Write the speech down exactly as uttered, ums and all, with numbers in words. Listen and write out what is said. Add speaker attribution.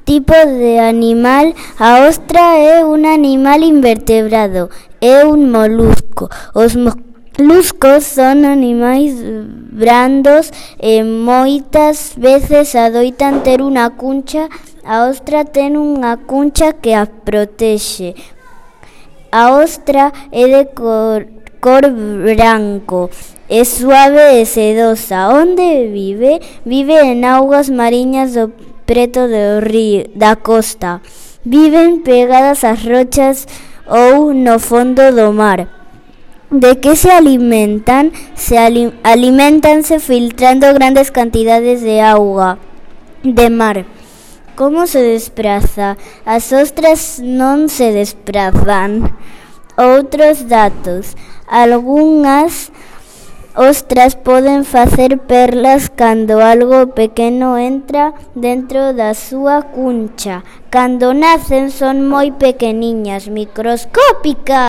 Speaker 1: tipo de animal. A ostra é un animal invertebrado, é un molusco. Os moluscos son animais brandos e moitas veces adoitan ter unha cuncha. A ostra ten unha cuncha que a protexe. A ostra é de cor, cor branco, é suave e sedosa. Onde vive? Vive en augas mariñas do preto do río, da costa. Viven pegadas ás rochas ou no fondo do mar. De que se alimentan? Se ali, alimentanse filtrando grandes cantidades de auga de mar. Como se despraza? As ostras non se desprazan. Outros datos. Algunhas ostras poden facer perlas cando algo pequeno entra dentro da súa cuncha. Cando nacen son moi pequeniñas, microscópicas.